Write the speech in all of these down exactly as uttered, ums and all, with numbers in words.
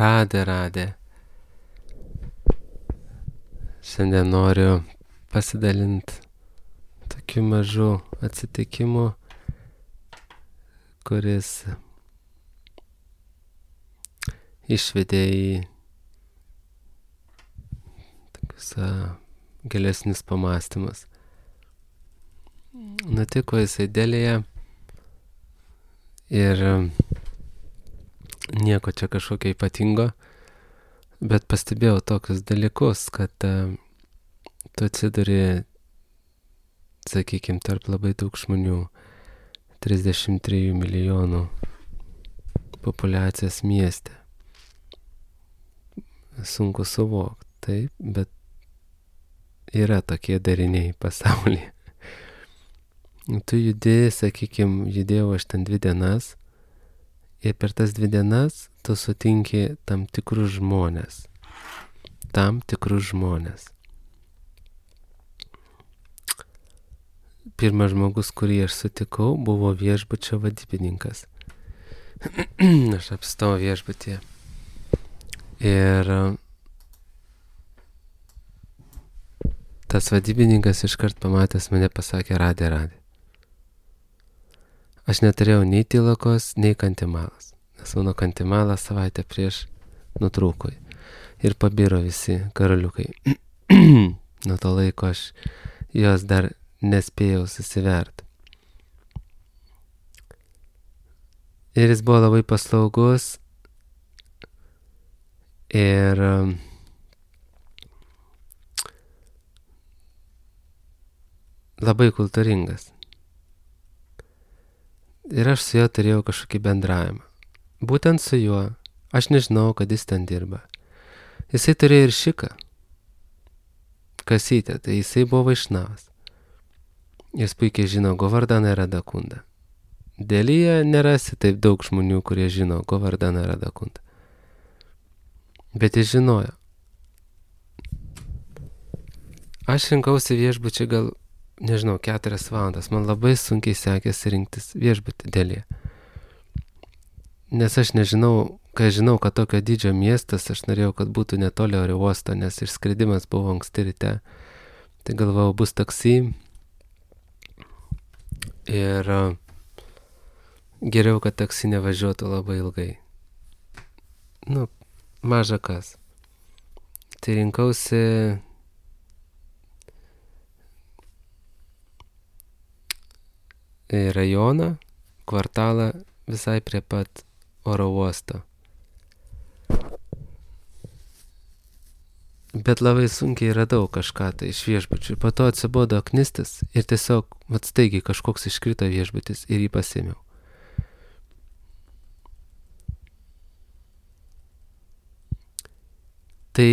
Radė, radė. Šiandien noriu pasidalinti tokiu mažu atsitikimu, kuris išvedė į tokius gilesnius pamąstymus. Nutiko jisai Delyje ir nieko čia kažkokio ypatingo, bet pastebėjau tokius dalykus, kad uh, tu atsiduri, sakykime, tarp labai daug žmonių, trisdešimt trijų milijonų populiacijos mieste. Sunku suvokti, taip, bet yra tokie dariniai pasaulyje. Tu judi, sakykime, judėjau aš ten dvi dienas ir per tas dvi dienas tu sutinki tam tikrus žmonės. Tam tikrus žmonės. Pirmas žmogus, kurį aš sutikau, buvo viešbučio vadybininkas. Aš apstojau viešbutyje. Ir tas vadybininkas iškart pamatęs mane pasakė, radė, radė. Aš neturėjau nei tylakos, nei kantimalas. Nes mano kantimalas savaitę prieš nutrūko. Ir pabiro visi karaliukai. Nuo to laiko aš jos dar nespėjau susivert. Ir jis buvo labai paslaugus. Ir labai kultūringas. Ir aš su juo turėjau kažkokį bendravimą. Būtent su juo. Aš nežinau, kad jis ten dirba. Jisai turėjo ir šiką. Kasytę. Tai jisai buvo vaišnavas. Jis puikiai žino Govardhaną Radhakundą. Delyje nerasi taip daug žmonių, kurie žino Govardhaną Radhakundą. Bet jis žinojo. Aš rinkausi viešbučiai gal, nežinau, keturias valandas. Man labai sunkiai sekėsi rinktis viešbutį Delyje. Nes aš nežinau, kai žinau, kad tokio dydžio miestas, aš norėjau, kad būtų netoli oro uosto, nes išskridimas buvo anksti ryte. Tai galvojau, bus taksi. Ir geriau, kad taksi nevažiuotų labai ilgai. Nu, maža kas. Tai rinkausi rajoną, kvartalą visai prie pat oro uosto. Bet labai sunkiai radau kažką tai iš viešbučių. Po to atsibodo knistis ir tiesiog vat staigiai kažkoks iškrito viešbutis ir jį pasėmiau. Tai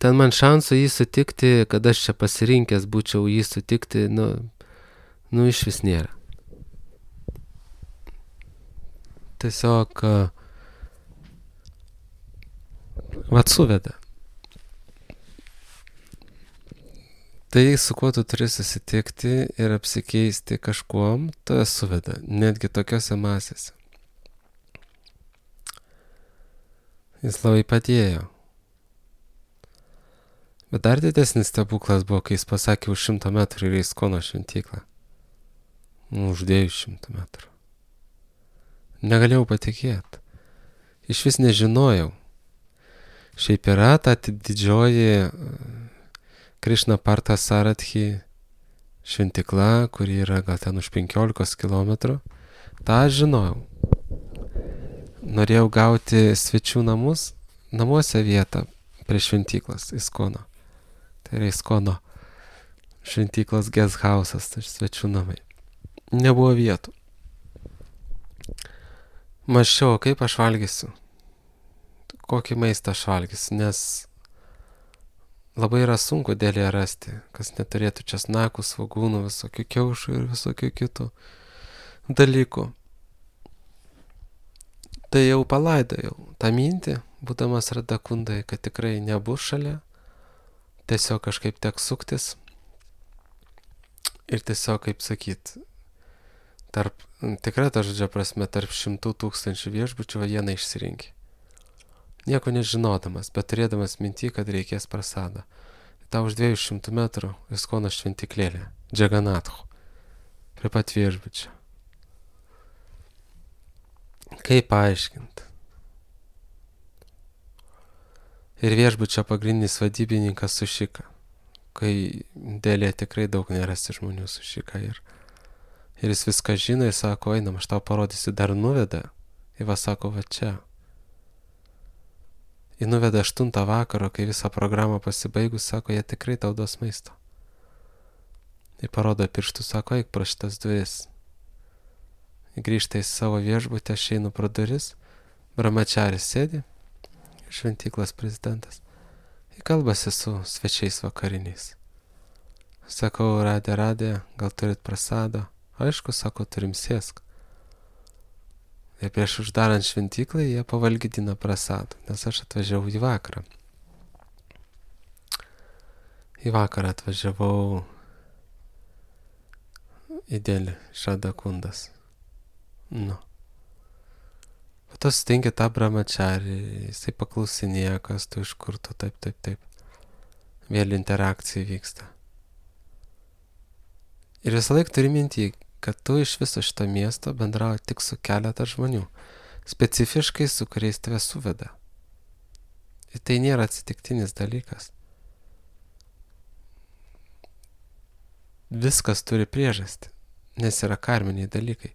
ten man šansų jį sutikti, kad aš čia pasirinkęs būčiau jį sutikti, nu, nu iš vis nėra. Tiesiog vat suveda. Tai su kuo tu turi susitikti ir apsikeisti kažkuom, to suveda, netgi tokiose masėse. Jis labai padėjo. Bet dar didesnis stebuklas buvo, kai jis pasakė už šimto metrų yra Iskono šventyklą. Už dviejų šimtų metrų. Negalėjau patikėti. Iš vis nežinojau. Šiaip yra ta didžioji Krišna Partha Sarathy šventykla, kuri yra gal ten už penkiolikos kilometrų. Ta aš žinojau. Norėjau gauti svečių namus, namuose vietą prie šventyklos Iskono. Tai yra Iskono šventyklos guest house'as, tai svečių namai. Nebuvo vietų. Mąsčiau, kaip aš valgysiu. Kokį maistą aš valgysiu, nes labai yra sunku Delyje rasti, kas neturėtų česnakų, svogūnų, visokių kiaušų ir visokių kitų dalykų. Tai jau palaidojau tą mintį, būdamas Radhakundai, kad tikrai nebus šalia, tiesiog kažkaip teks suktis ir tiesiog, kaip sakyt, tarp, tikrai ta žodžio prasme, tarp šimtų tūkstančių viešbučių vieną išsirinkti. nieko nežinodamas, bet turėdamas mintį, kad reikės prasadą. Ta už dviejų šimtų metrų Iskono šventiklėlė, Džaganathu, prie pat viešbučio. Kaip paaiškinti? Ir viešbučio pagrindinis vadybininkas sušika, kai dėlė tikrai daug nerasti žmonių sušika. Ir, ir jis viską žino, jis sako, einam, aš tau parodysiu, dar nuveda. Ir va sako, va čia. Jis nuveda aštuntą vakaro, kai visą programą pasibaigus, sako, jie tikrai tau duos maisto. Jis parodo pirštų, sako, eik pro šitas duris. Jis grįžta į savo viešbutę, aš einu pro duris, brahmačaris sėdi, šventyklos prezidentas. Jis kalbasi su svečiais vakariniais. Sakau, radė, radė, gal turit prasado? Aišku, sako, turim sėsk. Ir prieš uždarant šventyklą jie pavalgydina prasadų, nes aš atvažiavau į vakarą. Į vakarą atvažiavau į Delį, Šadakundas. Nu. Po to sutinki tą brahmačarį, jisai paklausinėja, kas tu iš kur tu, taip, taip, taip. Vėl interakcija vyksta. Ir visą laiką turi mintį, kad tu iš viso šito miesto bendrauji tik su keletą žmonių, specifiškai su kuriais tave suveda. Ir tai nėra atsitiktinis dalykas. Viskas turi priežastį, nes yra karminiai dalykai.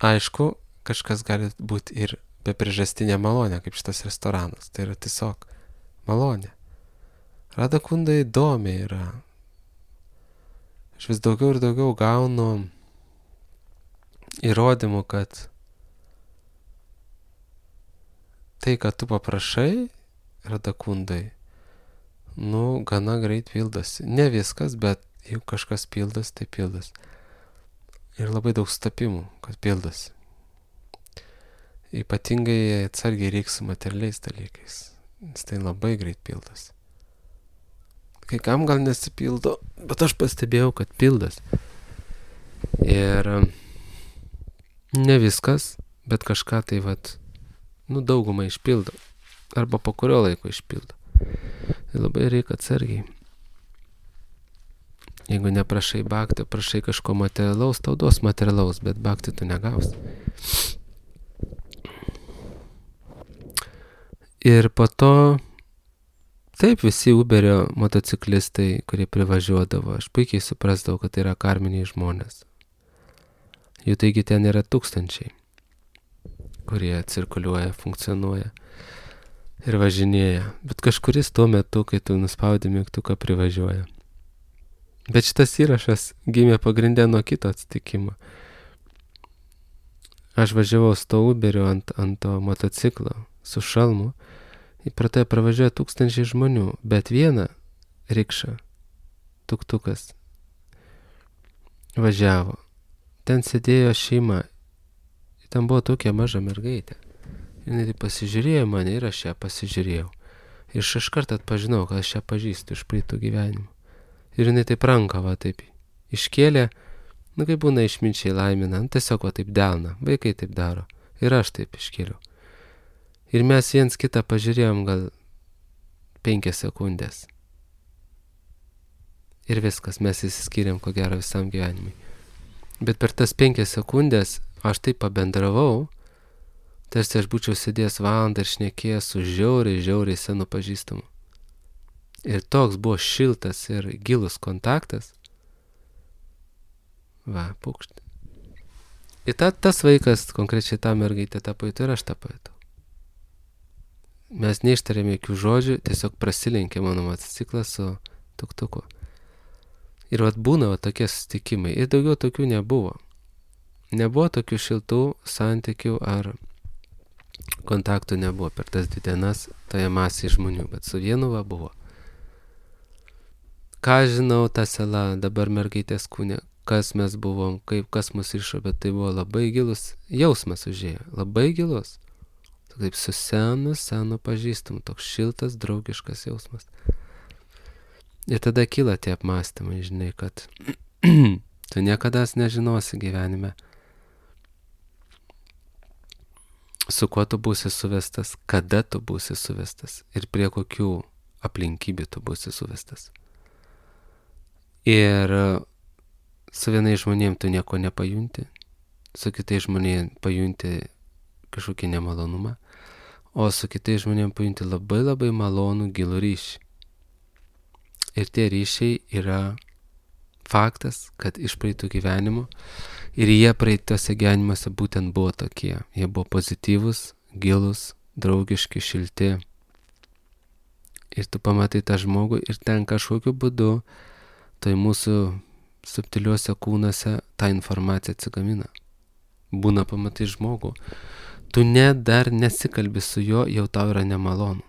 Aišku, kažkas gali būti ir be priežastinė malonė, kaip šitas restoranas. Tai yra tiesiog malonė. Radakunda įdomi yra. Aš vis daugiau ir daugiau gaunu įrodymų, kad tai, kad tu paprašai Radakundai, nu, gana greit pildosi. Ne viskas, bet jeigu kažkas pildas, tai pildas. Ir labai daug stapimų, kad pildosi. Ypatingai atsargiai reiks su materialiais dalykais, nes tai labai greit pildosi. Kai kam gal nesipildo, bet aš pastebėjau, kad pildas. Ir ne viskas, bet kažką tai vat, nu daugumą išpildo. Arba po kurio laiko išpildo. Tai labai reikia atsargiai. Jeigu neprašai bhakti, prašai kažko materialaus, tau duos materialaus, bet bhakti tu negausi. Ir po to taip, visi Uberio motociklistai, kurie privažiuodavo, aš puikiai suprasdavau, kad tai yra karminiai žmonės. Jų taigi ten yra tūkstančiai, kurie cirkuliuoja, funkcionuoja ir važinėja. Bet kažkuris tuo metu, kai tu nuspaudi mygtuką, privažiuoja. Bet šitas įrašas gimė pagrindę nuo kito atsitikimo. Aš važiavau su to Uberiu ant, ant to motociklo su šalmu. Ir pro tai pravažiuoja tūkstančiai žmonių, bet vieną rikšą, tuktukas, važiavo. Ten sėdėjo šeima, ten buvo tokia maža mergaitė. Ir tai pasižiūrėjo mane ir aš ją pasižiūrėjau. Ir aš iš karto atpažinau, kad aš ją pažįstu iš praeitų gyvenimų. Ir jinai taip ranką va taip iškėlė, nu kaip būna išminčiai laimina, nu, tiesiog va taip delna, vaikai taip daro. Ir aš taip iškėliau. Ir mes viens kitą pažiūrėjom gal penkias sekundės. Ir viskas, mes įsiskyrėm ko gero visam gyvenimui. Bet per tas penkias sekundės aš taip pabendravau, tarsi aš būčiau sėdėjęs valandą ir šnekėjęs su žiauriai, žiauriai senu pažįstamu. Ir toks buvo šiltas ir gilus kontaktas. Va, pukšt. Ir ta, tas vaikas, konkrečiai ta mergaitė tą pajutė ir aš tą pajutau. Mes neištarėme jokių žodžių, tiesiog prasilenkė mano motociklas su tuktuku. Ir vat būna vat tokie susitikimai. Ir daugiau tokių nebuvo. Nebuvo tokių šiltų santykių ar kontaktų nebuvo per tas dvi dienas toje masėje žmonių, bet su vienu va buvo. Ką žinau, ta sela, dabar mergaitės kūne, kas mes buvom, kaip, kas mus išo, bet tai buvo labai gilus jausmas užėjo, labai gilus. Taip su senu, senu pažįstamu, toks šiltas, draugiškas jausmas. Ir tada kyla tie apmąstymai, žinai, kad tu niekada nežinosi gyvenime, su kuo tu būsi suvestas, kada tu būsi suvestas ir prie kokių aplinkybių tu būsi suvestas. Ir su vienais žmonėm tu nieko nepajunti, su kitais žmonėm pajunti kažkokį nemalonumą, o su kitais žmonėm pajunti labai labai malonų gilų ryšį. Ir tie ryšiai yra faktas, kad iš praeitų gyvenimų ir jie praeitose gyvenimuose būtent buvo tokie. Jie buvo pozityvus, gilus, draugiški, šilti. Ir tu pamatai tą žmogų ir ten kažkokiu būdu tai mūsų subtiliuose kūnuose ta informacija atsigamina. Būna pamatai žmogų. Tu net dar nesikalbi su juo, jau tau yra nemalonu.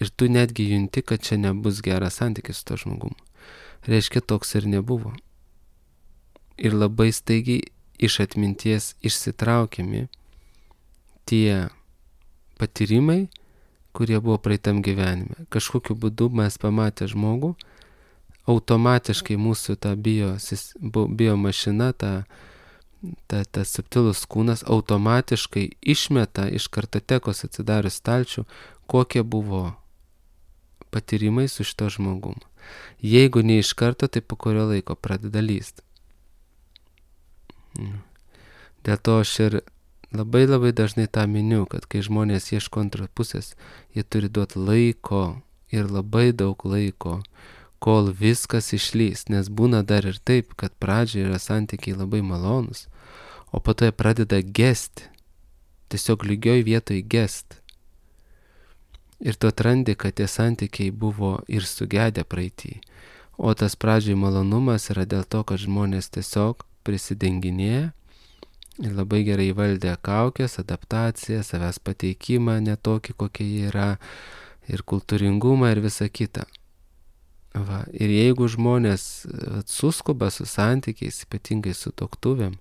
Ir tu netgi junti, kad čia nebus geras santykis su to žmogumu. Reiškia, toks ir nebuvo. Ir labai staigiai iš atminties išsitraukiami tie patyrimai, kurie buvo praeitam gyvenime. Kažkokiu būdu mes pamatę žmogų, automatiškai mūsų ta bio, bio mašina, ta, ta, ta subtilus kūnas automatiškai išmeta iš kartotekos atsidarius stalčių, kokie buvo patyrimai su šito žmogumu. Jeigu ne iš karto, tai po kurio laiko pradeda lysti. Dėl to aš ir labai labai dažnai tą miniu, kad kai žmonės ieško antros pusės, jie turi duoti laiko ir labai daug laiko, kol viskas išlys, nes būna dar ir taip, kad pradžioje yra santykiai labai malonus, o po to jie pradeda gesti, tiesiog lygioj vietoj gesti. Ir tu atrandi, kad tie santykiai buvo ir sugedę praeitį, o tas pradžioj malonumas yra dėl to, kad žmonės tiesiog prisidenginėja ir labai gerai valdė kaukės, adaptaciją, savęs pateikimą, netokį, kokie jie yra, ir kultūringumą ir visą kitą. Va. Ir jeigu žmonės suskuba su santykiais, ypatingai su tuoktuvėm,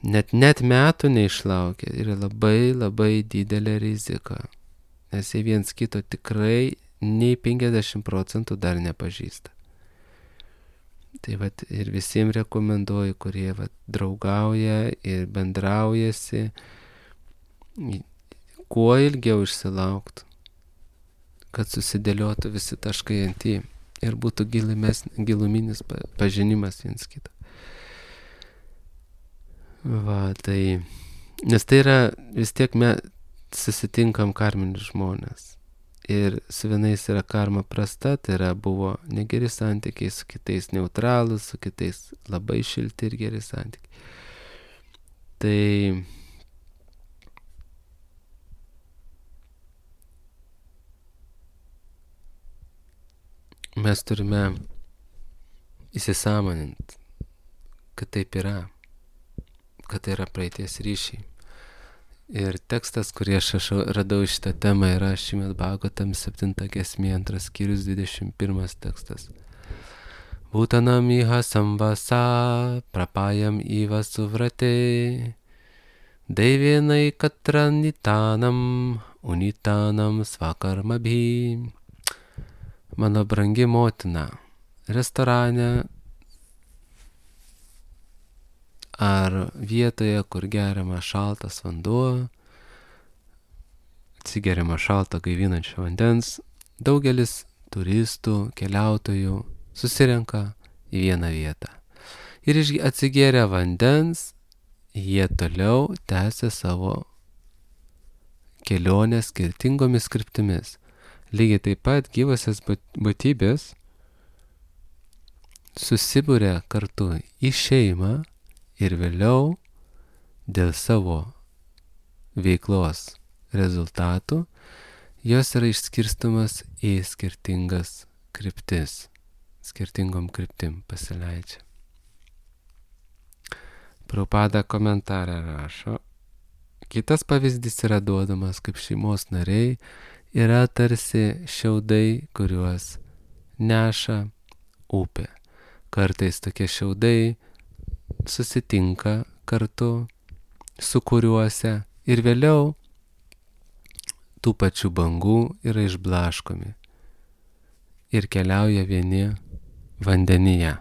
net, net metų neišlaukia, yra labai labai didelė rizika, nes jie viens kito tikrai nei penkiasdešimt procentų dar nepažįsta. Tai vat ir visiems rekomenduoju, kurie vat draugauja ir bendraujasi, kuo ilgiau išsilauktų, kad susidėliotų visi taškai ant į ir būtų giluminis pažinimas viens kito. Va, tai, nes tai yra, vis tiek mes susitinkam karminius žmonės. Ir su vienais yra karma prasta, tai yra buvo negeri santykiai, su kitais neutralūs, su kitais labai šilti ir geri santykiai. Tai mes turime įsisąmoninti, kad taip yra, kad tai yra praeities ryšiai. Ir tekstas, kurį aš radau šitą temą, yra Šrimad Bhagavatam septinta giesmė, antras skyrius, dvidešimt pirmas tekstas. Bhutanam iha samvasa prapayam iva suvrate daivienai katranitanam unitanam svakarmabhi. Mano brangi motina, restorane ar vietoje, kur geriama šaltas vanduo, atsigeriama šalto gaivinančio vandens, daugelis turistų, keliautojų susirenka į vieną vietą. Ir atsigėrę vandens, jie toliau tęsia savo kelionę skirtingomis kryptimis. Lygiai taip pat gyvosios būtybės susibūrė kartu į šeimą ir vėliau dėl savo veiklos rezultatų jos yra išskirstomas į skirtingas kryptis, skirtingom kryptim pasileidžia. Prabhupada komentarą rašo, kitas pavyzdys yra duodamas, kaip šeimos nariai yra tarsi šiaudai, kuriuos neša upė. Kartais tokie šiaudai susitinka kartu su kuriuose ir vėliau tų pačių bangų yra išblaškomi ir keliauja vieni vandenyje.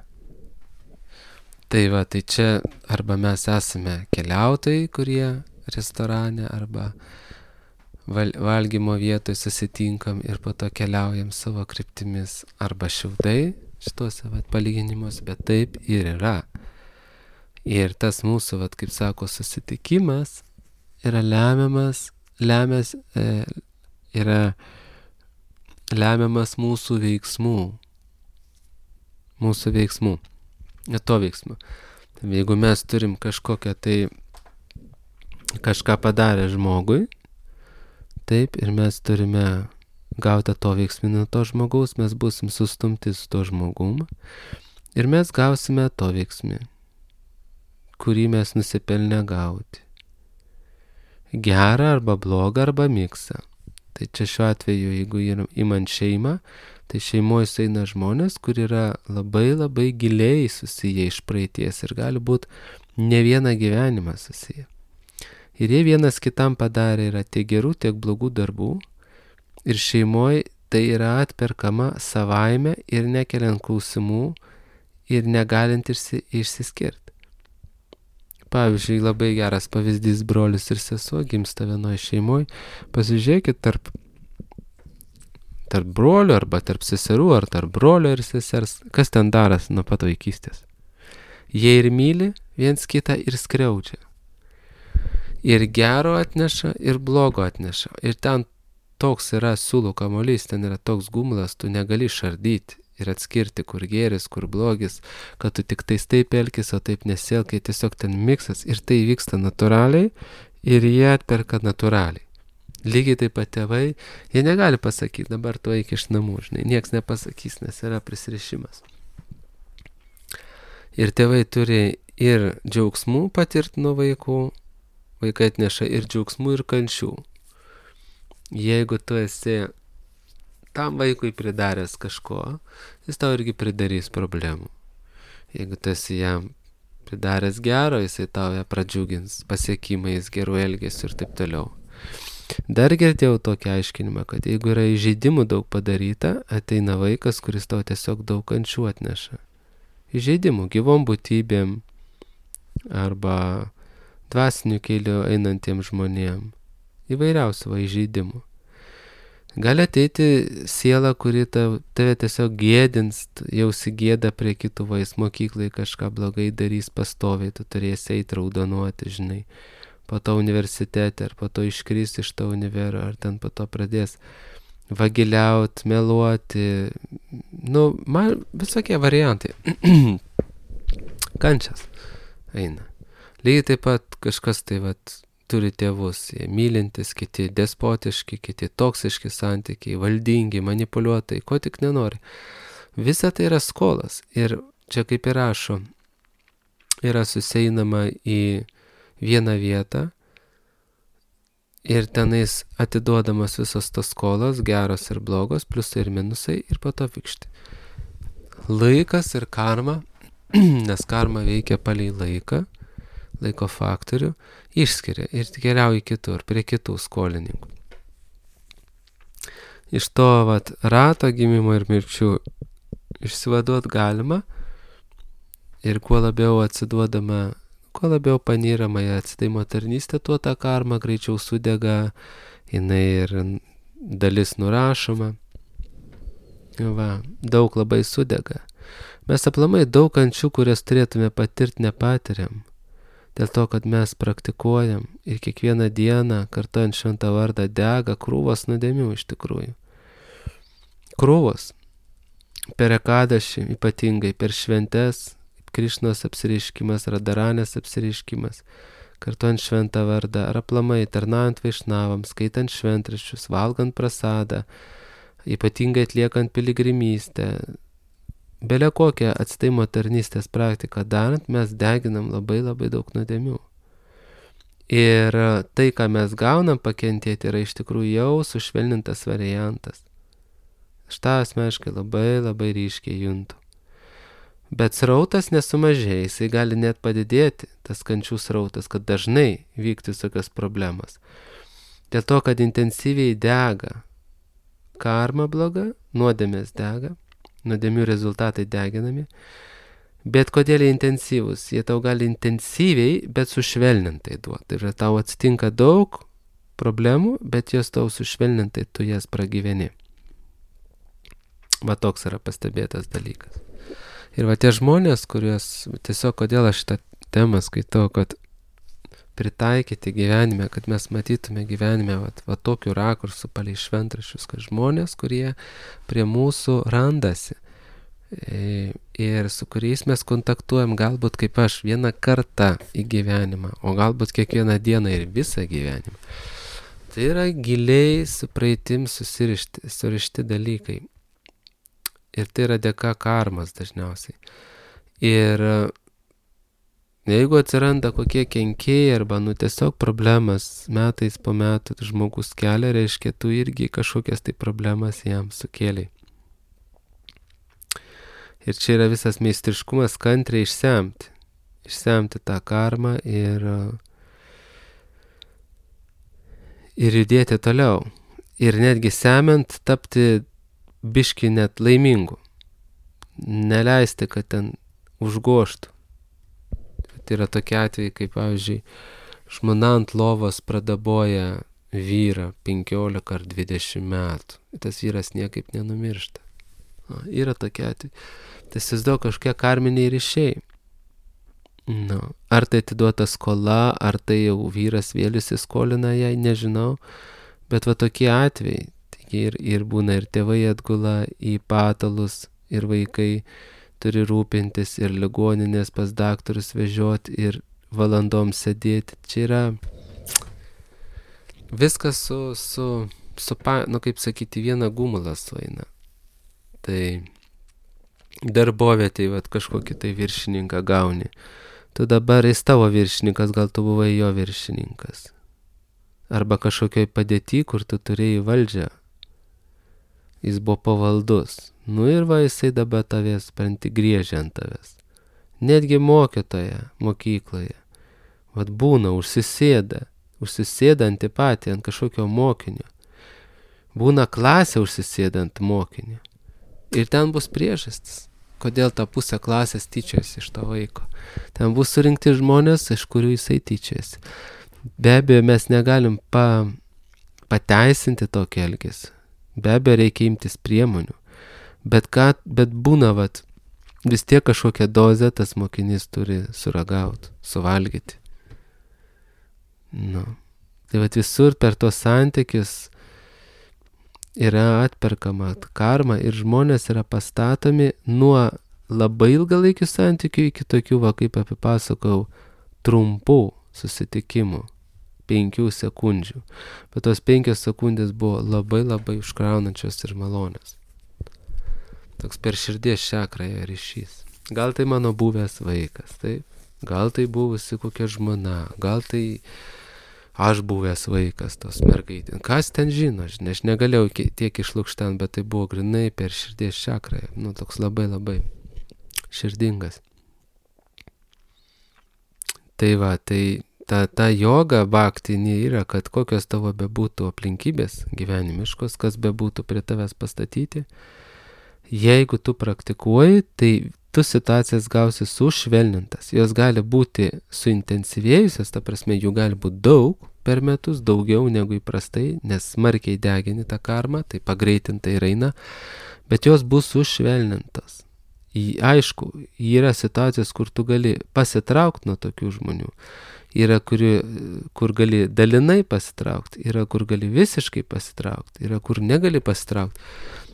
Tai va, tai čia arba mes esame keliautojai, kurie restorane arba val, valgymo vietoje susitinkam ir po to keliaujam savo kryptimis arba šiltai šituose vat, palyginimus, bet taip ir yra. Ir tas mūsų, vat, kaip sako, susitikimas yra lemiamas, lemias, e, yra lemiamas mūsų veiksmų. Mūsų veiksmų. Ne to veiksmų. Tai jeigu mes turim kažkokią tai kažką padarę žmogui, taip, ir mes turime gauti to veiksmį nuo to žmogaus, mes būsim sustumti su to žmogum ir mes gausime to veiksmį, kurį mes nusipelnę gauti. Gerą arba blogą arba miksą. Tai čia šiuo atveju, jeigu imant šeimą, tai šeimoje eina žmonės, kur yra labai labai giliai susiję iš praeities ir gali būti ne vieną gyvenimą susiję. Ir jie vienas kitam padarė yra tiek gerų, tiek blogų darbų ir šeimoje tai yra atperkama savaime ir nekeliant klausimų ir negalint išsiskirti. Pavyzdžiui, labai geras pavyzdys brolis ir sesuo gimsta vienoje šeimoje. Pasižiūrėkit tarp, tarp brolių arba tarp seserų ar tarp brolio ir sesers, kas ten daras nuo pat vaikystės. Jie ir myli viens kitą ir skriaudžia. Ir gero atneša, ir blogo atneša. Ir ten toks yra siūlų kamuolys, ten yra toks gumlas, tu negali šardyti ir atskirti, kur gėris, kur blogis, kad tu tik tais taip elkis, o taip nesielkai, tiesiog ten miksas ir tai vyksta natūraliai ir jie atperka natūraliai. Lygiai taip pat tėvai, jie negali pasakyti, dabar tu eik iš namų, žinai, nieks nepasakys, nes yra prisirišimas. Ir tėvai turi ir džiaugsmų patirti nuo vaikų, vaikai atneša ir džiaugsmų, ir kančių. Jeigu tu esi tam vaikui pridaręs kažko, jis tau irgi pridarys problemų. Jeigu tu esi jam pridaręs gero, jisai tau ją pradžiugins pasiekimais, gerų elgesių ir taip toliau. Dar girdėjau tokį aiškinimą, kad jeigu yra įžeidimų daug padaryta, ateina vaikas, kuris tau tiesiog daug kančių atneša. Įžeidimų gyvom būtybėm arba dvasiniu keliu einantiem žmonėm. Įvairiausių va įžeidimų. Gali ateiti siela, kuri tave tiesiog gėdins, jausi gėdą prie kitų, vais mokyklai kažką blogai darys pastoviai, tu turėsi eiti raudonuoti, žinai, po to universitete, ar po to iškris iš to univero, ar ten po to pradės vagiliauti, meluoti, nu, man visokie variantai. Kančias eina. Lygiai taip pat kažkas tai vat turi tėvus, jie mylintis, kiti despotiški, kiti toksiški santykiai, valdingi, manipuliuotojai, ko tik nenori. Visa tai yra skolas ir čia kaip ir rašo, yra suseinama į vieną vietą ir tenais atiduodamas visos tos skolos, geros ir blogos, pliusai ir minusai ir po to vikšti. Laikas ir karma, nes karma veikia palei laiką, laiko faktorių, išskiria ir keliauja kitur, prie kitų skolininkų. Iš to vat, rato gimimo ir mirčių išsivaduot galima ir kuo labiau atsiduodama, kuo labiau panyrama į atsidavimo tarnystę, tuo ta karma greičiau sudega, jinai ir dalis nurašoma. Va, daug labai sudega. Mes aplamai daug kančių, kurias turėtume patirti, nepatiriam. Dėl to, kad mes praktikuojam ir kiekvieną dieną kartojant šventą vardą dega krūvos nuodėmių iš tikrųjų. Krūvos. Per ekadašį, ypatingai per šventes, Krišnos apsireiškimas, Radaranės apsireiškimas, kartojant šventą vardą, ar aplamai tarnaujant vaišnavams, skaitant šventraščius, valgant prasadą, ypatingai atliekant piligrimystę, Belė kokią atsidavimo tarnystės praktiką darant, mes deginam labai labai daug nuodėmių. Ir tai, ką mes gaunam pakentėti, yra iš tikrųjų jau sušvelnintas variantas. Aš tą asmeniškai labai labai ryškiai juntu. Bet srautas nesumažėja, jisai gali net padidėti, tas kančių srautas, kad dažnai vyktų tokios problemos. Dėl to, kad intensyviai dega karma bloga, nuodėmės dega, nuodėmių rezultatai deginami, Bet kodėl jie intensyvūs? Jie tau gali intensyviai, bet sušvelnintai duoti. Tai yra tau atsitinka daug problemų, bet jos tau sušvelnintai tu jas pragyveni. Va toks yra pastebėtas dalykas. Ir va tie žmonės, kuriuos tiesiog kodėl aš šitą temą skaitau, kad pritaikyti gyvenime, kad mes matytume gyvenime va, va tokių rakursų palei šventraščius, kad žmonės, kurie prie mūsų randasi ir su kuriais mes kontaktuojam galbūt kaip aš vieną kartą į gyvenimą, o galbūt kiekvieną dieną ir visą gyvenimą. Tai yra giliai su praeitim susirišti, surišti dalykai. Ir tai yra dėka karmas dažniausiai. Ir jeigu atsiranda kokie kenkėjai arba nu tiesiog problemas metais po metų žmogus kelia, reiškia tu irgi kažkokias tai problemas jam sukėlei. Ir čia yra visas meistriškumas kantriai išsemti. Išsemti tą karmą ir, ir judėti toliau. Ir netgi semiant tapti biški net laimingu. Neleisti, kad ten užgoštų. Tai yra tokie atvejai, kaip pavyzdžiui, žmona ant lovos pradaboja vyrą penkiolika ar dvidešimt metų. Tas vyras niekaip nenumiršta. O, yra tokie atvejai. Tai įsivaizduoju kažkokie karminiai ryšiai. Nu, ar tai atiduota skola, ar tai jau vyras vėl įsiskolina jai, nežinau. Bet va tokie atvejai. Ir, ir būna ir tėvai atgula į patalus, ir vaikai turi rūpintis, ir ligoninės pas daktarus vežioti, ir valandom sėdėti. Čia yra viskas su, su, su nu kaip sakyti, viena gumulą sueina. Tai darbovietėj vat kažkokį tai viršininką gauni. Tu dabar jis tavo viršininkas, gal tu buvai jo viršininkas. Arba kažkokioj padėty, kur tu turėjai valdžią. Jis buvo pavaldus. Nu ir va, jisai dabar tavęs, spranti, griežia ant tavęs. Netgi mokytoja mokykloje. Vat būna, užsisėda. Užsisėda antipatija ant kažkokio mokinio. Būna klasė užsisėda ant mokinio. Ir ten bus priežastis, kodėl ta pusė klasės tyčiasi iš to vaiko. Ten bus surinkti žmonės, iš kurių jisai tyčiasi. Be abejo, mes negalim pa, pateisinti tokį elgesį. Be abejo, reikia imtis priemonių. Bet, ką, bet būna, vat, vis tiek kažkokią dozę tas mokinys turi suragauti, suvalgyti. Nu. Tai vat visur per tos santykius yra atperkama karma ir žmonės yra pastatomi nuo labai ilgalaikių santykių iki tokių, va, kaip apipasakojau, trumpų susitikimų, penkių sekundžių. Bet tos penkios sekundės buvo labai labai užkraunančios ir malonios. Toks per širdies čakrą ryšys. Gal tai mano buvęs vaikas, taip? Gal tai buvusi kokia žmona, gal tai aš buvęs vaikas tos mergaitės. Kas ten žino, žinai, aš negalėjau tiek išlukštent, bet tai buvo grinai per širdies čakrą. Nu, toks labai labai širdingas. Tai va, tai ta, ta joga bhaktinė yra, kad kokios tavo bebūtų aplinkybės gyvenimiškos, kas bebūtų prie tavęs pastatyti, jeigu tu praktikuoji, tai tu situacijas gausi sušvelnintas. Jos gali būti suintensyvėjusios, ta prasme, jų gali būti daug per metus, daugiau negu įprastai, nes smarkiai degini tą karmą, tai pagreitintai ir eina, bet jos bus sušvelnintos. Į, aišku, yra situacijos, kur tu gali pasitraukti nuo tokių žmonių. Yra, kuri, kur gali dalinai pasitraukti, yra, kur gali visiškai pasitraukti, yra, kur negali pasitraukti.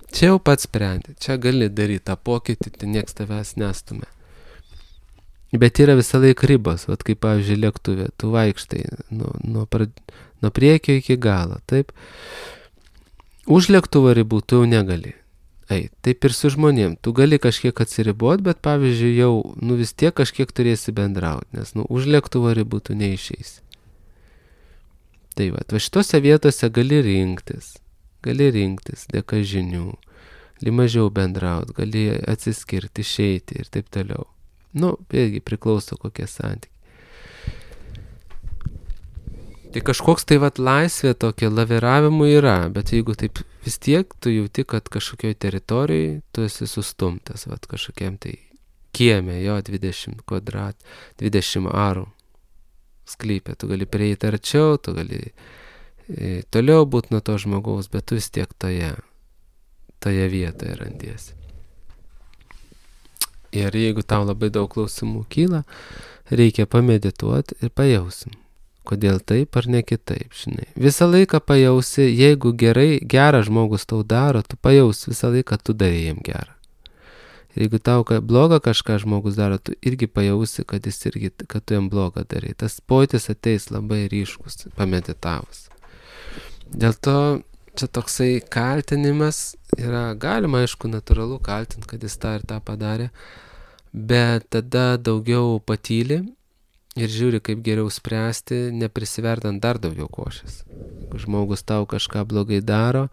Čia jau pats sprendi, čia gali daryti tą pokytį, tai nieks tavęs nestumia. Bet yra visą laiką ribos, vat kaip pavyzdžiui lėktuvė, tu vaikštai nuo, nuo, nuo priekio iki galo, taip. Už lėktuvo ribų tu jau negali. Ei, taip ir su žmonėm, tu gali kažkiek atsiriboti, bet pavyzdžiui jau, nu vis tiek kažkiek turėsi bendrauti, nes nu už lėktuvo ribų tu neišeisi. Tai va, va šitose vietose gali rinktis. Gali rinktis dėka žinių, gali mažiau bendrauti, gali atsiskirti, išeiti ir taip toliau. Nu, vėlgi priklauso kokie santykiai. Tai kažkoks tai vat laisvė tokia laviravimų yra, bet jeigu taip vis tiek tu jauti, kad kažkokioj teritorijai tu esi sustumtas, vat kažkokiam tai kieme, jo dvidešimt kvadrat, dvidešimt arų sklype. Tu gali prieiti arčiau, tu gali e, toliau būti nuo to žmogaus, bet tu vis tiek toje, toje vietoje randiesi. Ir jeigu tau labai daug klausimų kyla, reikia pamedituoti ir pajausim, kodėl taip ar ne kitaip, žinai. Visą laiką pajausi, jeigu gerai, geras žmogus tau daro, tu pajausi visą laiką, tu darai jam gerą. Ir jeigu tau blogą kažką žmogus daro, tu irgi pajausi, kad jis irgi, kad tu jam blogą darai. Tas pojūtis ateis labai ryškus, pameditavus. Dėl to čia toksai kaltinimas yra, galima aišku natūralu kaltinti, kad jis tą ir tą padarė, bet tada daugiau patyli ir žiūri, kaip geriau spręsti, neprisiverdant dar daugiau košės. Jeigu žmogus tau kažką blogai daro,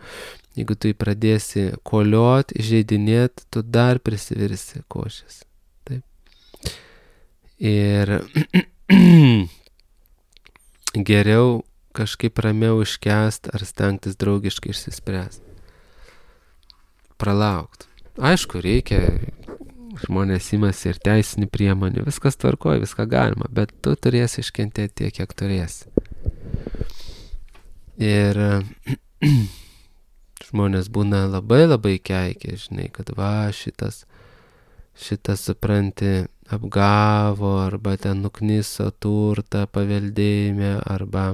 jeigu tu jį pradėsi koliot, įžeidinėt, tu dar prisivirsi košės. Taip. Ir geriau kažkaip ramiau iškęst ar stengtis draugiškai išsispręsti. Pralaukt. Aišku, reikia, žmonės imasi ir teisinių priemonių, viskas tvarkoja, viską galima, bet tu turėsi iškentėti tiek, kiek turėsi. Ir žmonės būna labai labai keikia, žinai, kad va šitas, šitas supranti, apgavo, arba ten nukniso turtą paveldėjime, arba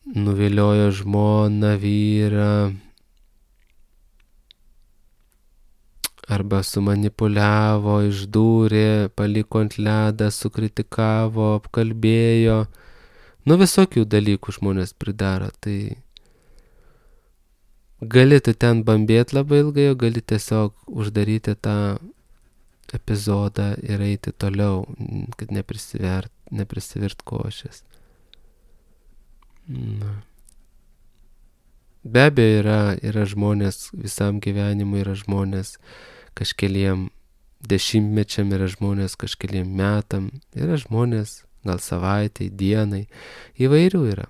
nuviliojo žmoną, vyrą, arba sumanipuliavo, išdūrė, paliko ant ledą, sukritikavo, apkalbėjo. Nu visokių dalykų žmonės pridaro, tai gali tu ten bambėti labai ilgai, o gali tiesiog uždaryti tą epizodą ir eiti toliau, kad neprisivert, neprisivirt košės. Na. Be abejo yra, yra žmonės, visam gyvenimui yra žmonės, kažkeliem dešimtmečiam yra žmonės, kažkeliem metam, yra žmonės, gal savaitai, dienai, įvairių yra.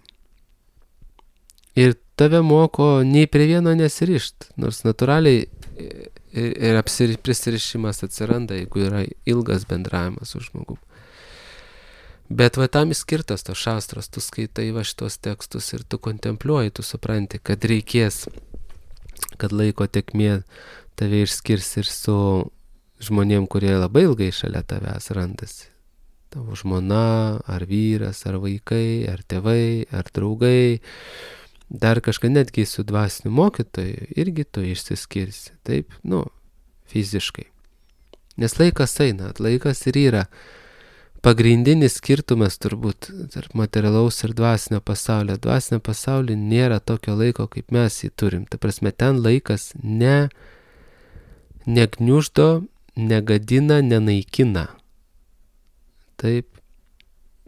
Ir tave moko nei prie vieno nesirišt, nors natūraliai ir prisirišimas atsiranda, jeigu yra ilgas bendravimas su žmogum. Bet va tam skirtas tos šastros, tu skaitai va šitos tekstus ir tu kontempliuoji, tu supranti, kad reikės, kad laiko tekmė tave išskirs ir su žmonėm, kurie labai ilgai šalia tavęs randasi. Tavo žmona, ar vyras, ar vaikai, ar tėvai, ar draugai, dar kažką netgi su dvasiniu mokytoju, irgi tu išsiskirsi, taip, nu, fiziškai. Nes laikas eina, laikas ir yra pagrindinis skirtumas turbūt tarp materialaus ir dvasinio pasaulio. Dvasinio pasaulio nėra tokio laiko, kaip mes jį turim. Ta prasme, ten laikas ne, negniuždo, negadina, nenaikina. Taip,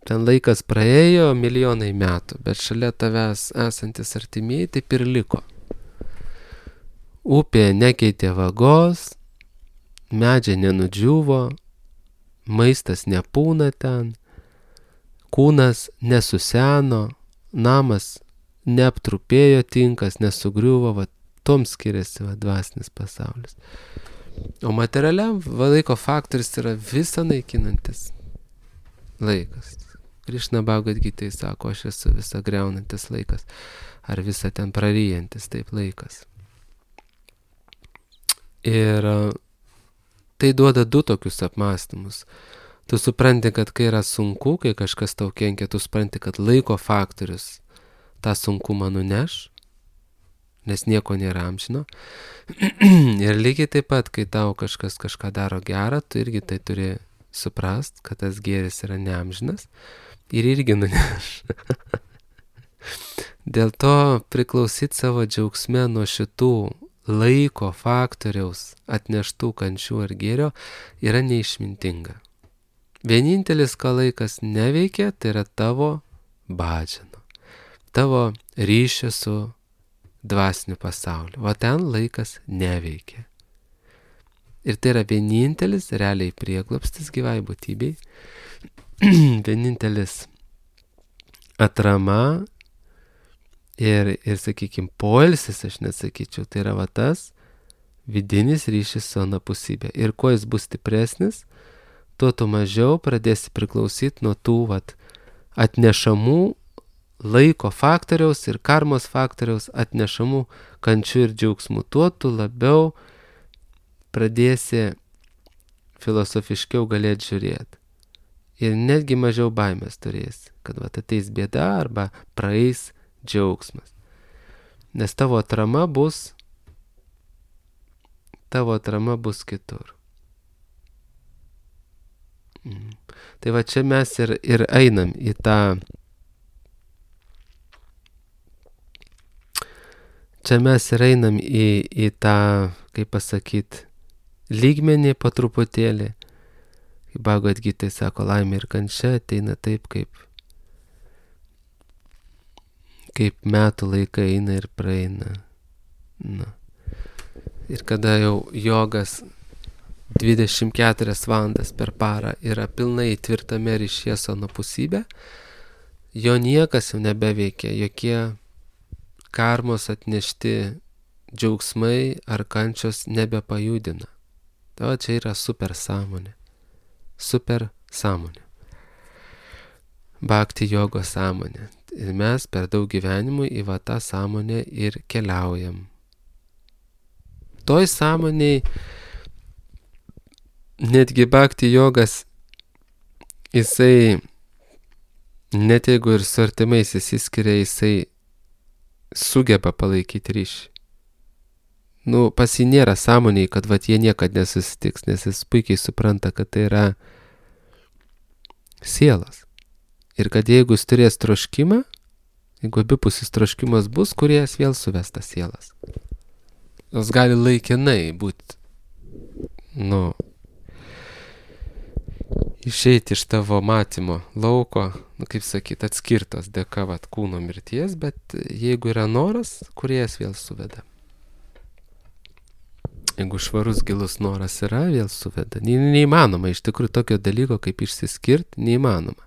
ten laikas praėjo milijonai metų, bet šalia tavęs esantis artimieji taip ir liko. Upė nekeitė vagos, medžiai nenudžiuvo, maistas nepūna ten, kūnas nesuseno, namas neaptrupėjo, tinkas nesugriuvo, va, tom skiriasi va, dvasinis pasaulis. O materialiam va, laiko faktorius yra visą naikinantis laikas. Krišna Bhagavad Gitai sako, aš esu visą greunantis laikas, ar visą ten praryjantis taip laikas. Ir tai duoda du tokius apmąstymus. Tu supranti, kad kai yra sunku, kai kažkas tau kenkia, tu supranti, kad laiko faktorius tą sunkumą nuneš, nes nieko nėra amžino. Ir lygiai taip pat, kai tau kažkas kažką daro gerą, tu irgi tai turi suprast, kad tas gėris yra neamžinas ir irgi nuneš. Dėl to priklausyt savo džiaugsme nuo šitų laiko faktoriaus atneštų kančių ar gėrio yra neišmintinga. Vienintelis, ką laikas neveikia, tai yra tavo bhajana, tavo ryšio su dvasiniu pasauliu. O ten laikas neveikia. Ir tai yra vienintelis realiai prieglobstis gyvai būtybei, vienintelis atrama ir, ir sakykime, poilsis, aš nesakyčiau, tai yra va tas vidinis ryšys su anapusybė. Ir kuo jis bus stipresnis, tuo tu mažiau pradėsi priklausyti nuo tų vat, atnešamų laiko faktoriaus ir karmos faktoriaus atnešamų kančių ir džiaugsmų. Tuo tu labiau pradėsi filosofiškiau galėti žiūrėti. Ir netgi mažiau baimės turėsi, kad vat, ateis bėda arba praeis džiaugsmas. Nes tavo atrama bus, tavo atrama bus kitur. Mm. Tai va čia mes ir, ir einam į tą, čia mes ir einam į, į tą, kaip pasakyti, lygmenį po truputėlį. Kaip Bhagavad Gita sako, laimė ir kančia ateina taip, kaip, kaip metų laikai eina ir praeina. Na. Ir kada jau jogas dvidešimt keturias valandas per parą yra pilnai tvirtame ryšyje su anapusybė, jo niekas jau nebeveikia, jokie karmos atnešti džiaugsmai ar kančios nebepajudina. O čia yra super sąmonė. Super sąmonė. Bhakti jogos sąmonė. Ir mes per daug gyvenimų į va tą sąmonę ir keliaujam. Toj sąmoniai netgi bhakti jogas, jisai, net jeigu ir su artimais įsiskiria, jisai sugeba palaikyti ryšį. Nu, pas jį nėra sąmoniai, kad vat jie niekad nesusitiks, nes jis puikiai supranta, kad tai yra sielas. Ir kad jeigu jis turės troškimą, jeigu abipusis troškimas bus, kuriejas vėl suves tas sielas. Jos gali laikinai būti, nu, išeiti iš tavo matymo lauko, nu, kaip sakyt, atskirtos dėka vat kūno mirties, bet jeigu yra noras, kuriejas vėl suveda. Jeigu švarus gilus noras yra, vėl suveda. Ne, neįmanoma, iš tikrųjų tokio dalyko kaip išsiskirti, neįmanoma.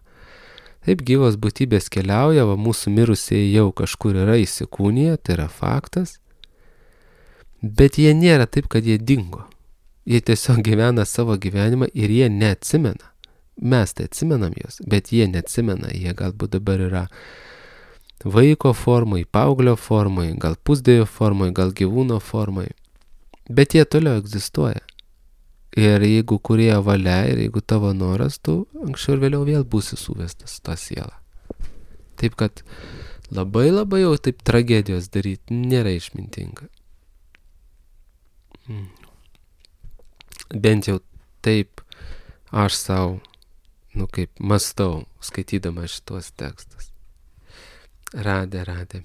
Taip gyvos būtybės keliauja, va mūsų mirusieji jau kažkur yra įsikūniję, tai yra faktas. Bet jie nėra taip, kad jie dingo. Jie tiesiog gyvena savo gyvenimą ir jie neatsimena. Mes tai atsimenam juos, bet jie neatsimena. Jie galbūt dabar yra vaiko formai, paauglio formai, gal pusdiejo formai, gal gyvūno formai. Bet jie toliau egzistuoja. Ir jeigu kurie valia ir jeigu tavo noras, tu anksčiau ir vėliau vėl būsi suvestas tą sielą. Taip kad labai labai jau taip tragedijos daryti nėra išmintinga. Mm. Bent jau taip aš savo, nu kaip mastau, skaitydama šitos tekstus. Radė, radė.